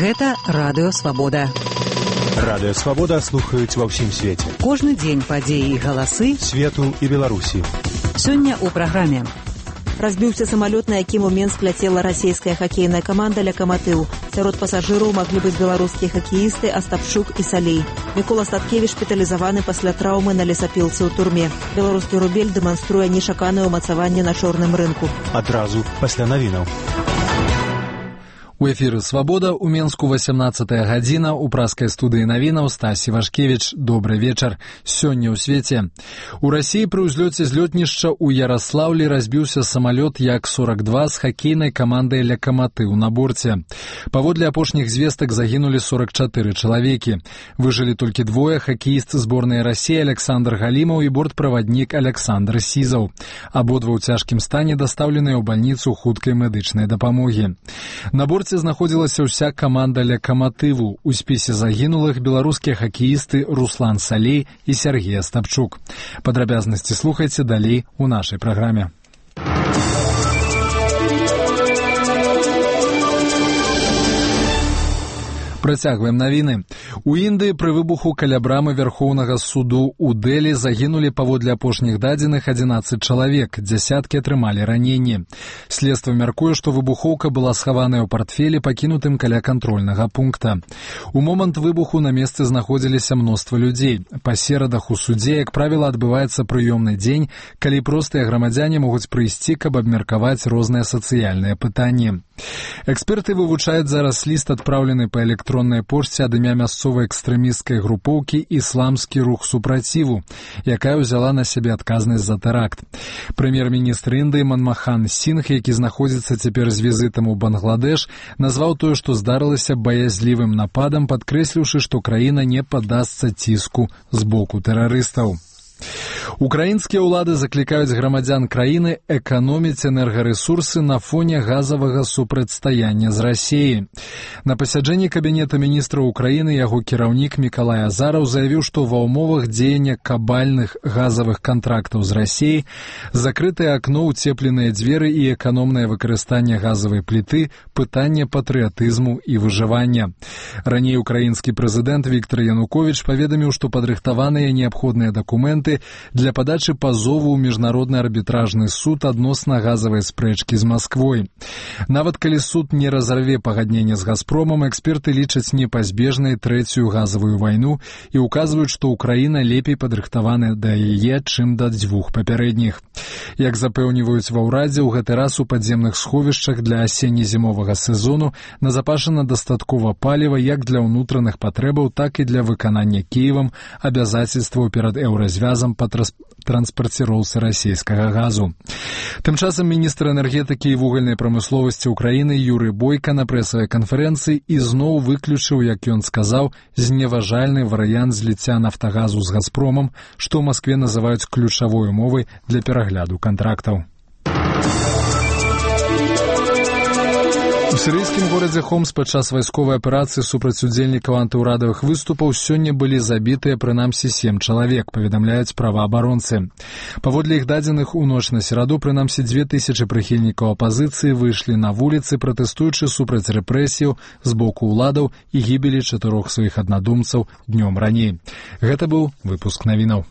Гэта Радыё Свабода. Радыё Свабода слухаюць ва ўсім свеце. Кожны дзень падзеі і галасы свету і Беларусі. Сёння ў праграме. Разбіўся самалёт, на якім у Менск ляцела расійская хакейная каманда «Локомотив». Сярод пасажыраў маглі быць беларускія хакеісты Астапчук і Салей. Мікола Статкевіч шпіталізаваны пасля траўмы на лесапілцы ў турме. Беларускі рубель дэманструе нечаканае ўмацаванне на чорным рынку. Адразу пасля навінаў. У эфіры «Свабода» у Менску 18-я гадзіна, у праскай студыі навінаў Стась Івашкевіч. Добры вечар. Сёння ў свеце. У Расіі пры ўзлёце з лётнішча ў Яраслаўлі разбіўся самалёт Як-42 з хакейнай камандай «Локомотив» на борце. Паводле апошніх звестак загінулі 44 чалавекі. Выжылі толькі двое: хакеіст зборнай Расіі Александр Галімаў і бортправаднік Александр Сізаў. Абодва ў цяжкім стане дастаўленыя ў бальніцу хуткай медычнай дапамогі. На борце знаходзілася ўся каманда «Локомотиву». У спісе загінулых беларускія хакеісты Руслан Салей і Сергей Астапчук. Падрабязнасці слухайце далей у нашай праграме. Працягваем навіны. У Індыі пры выбуху каля брамы Вярхоўнага суду ў Дэлі загінулі паводле апошніх дадзеных 11 чалавек, дзясяткі атрымалі раненні. Следства мяркуе, што выбухоўка была схаваная ў партфелі, пакінутым каля кантрольнага пункта. У момант выбуху на месцы знаходзіліся мноства людзей. Па серадах у судзе, як правіла, адбываецца прыёмны дзень, калі простыя грамадзяне могуць прыйсці, каб абмеркаваць розныя сацыяльныя пытанні. Эксперты вывучаюць зараз ліст, адпраўлены па электроннай пошце ад імя мясцовай экстрэмісцкай групоўкі «Ісламскі рух супраціву», якая ўзяла на сябе адказнасць за тэракт. Прэм'ер-міністр Індыі Манмахан Сінгх, які знаходзіцца цяпер з візітам у Бангладеш, назваў тое, што здарылася, баязлівым нападам, падкрэсліўшы, што краіна не паддасца ціску з боку тэрарыстаў. Украінскія ўлады заклікаюць грамадзян краіны эканоміць энергарэсурсы на фоне газавага супрацьстаяння з Расіяй. На пасяджэнні Кабінета міністраў Украіны яго кіраўнік Мікалай Азараў заявіў, што ва ўмовах дзеяння кабальных газавых кантрактаў з Расіяй закрытае акно, уцепленыя дзверы і эканомнае выкарыстанне газавай пліты – пытанне патрыятызму і выжывання. Раней украінскі прэзідэнт Віктор Януковіч паведаміў, што падрыхтаваныя неабходныя дакументы для падачы пазову ў міжнародны арбітражны суд адносна газавай спрэчкі з Масквой. Нават калі суд не разарве пагадненне з «Газпромам», эксперты лічаць непазбежнай трэцюю газавую вайну і ўказваюць, што Украіна лепей падрыхтаваная да яе, чым да дзвюх папярэдніх. Як запэўніваюць ва ўрадзе, у гэты раз у падземных сховішчах для асенне-зімовага сезону назапашана дастаткова паліва як для ўнутраных патрэбаў, так і для выканання Кіевам абавязацельстваў перад еўразвязам па транспарціроўцы расійскага газу. Тым часам міністр энергетыкі і вугальнай прамысловасці Украіны Юрый Бойка на прэсавай канферэнцыі ізноў выключыў, як ён сказаў, зневажальны варыянт зліцця «Нафтагазу» з «Газпромам», што ў Маскве называюць ключавой умовай для перагляду кантрактаў. У сірыйскім горадзе Хомс падчас вайсковай аперацыі супраць удзельнікаў антыўрадавых выступаў сёння былі забітыя прынамсі 7 чалавек, паведамляюць праваабаронцы. Паводле іх дадзеных, у ноч на сераду прынамсі 2000 прыхільнікаў апазіцыі выйшлі на вуліцы, пратэстуючы супраць рэпрэсіяў з боку ўладаў і гібелі 4 сваіх аднадумцаў днём раней. Гэта быў выпуск навінаў.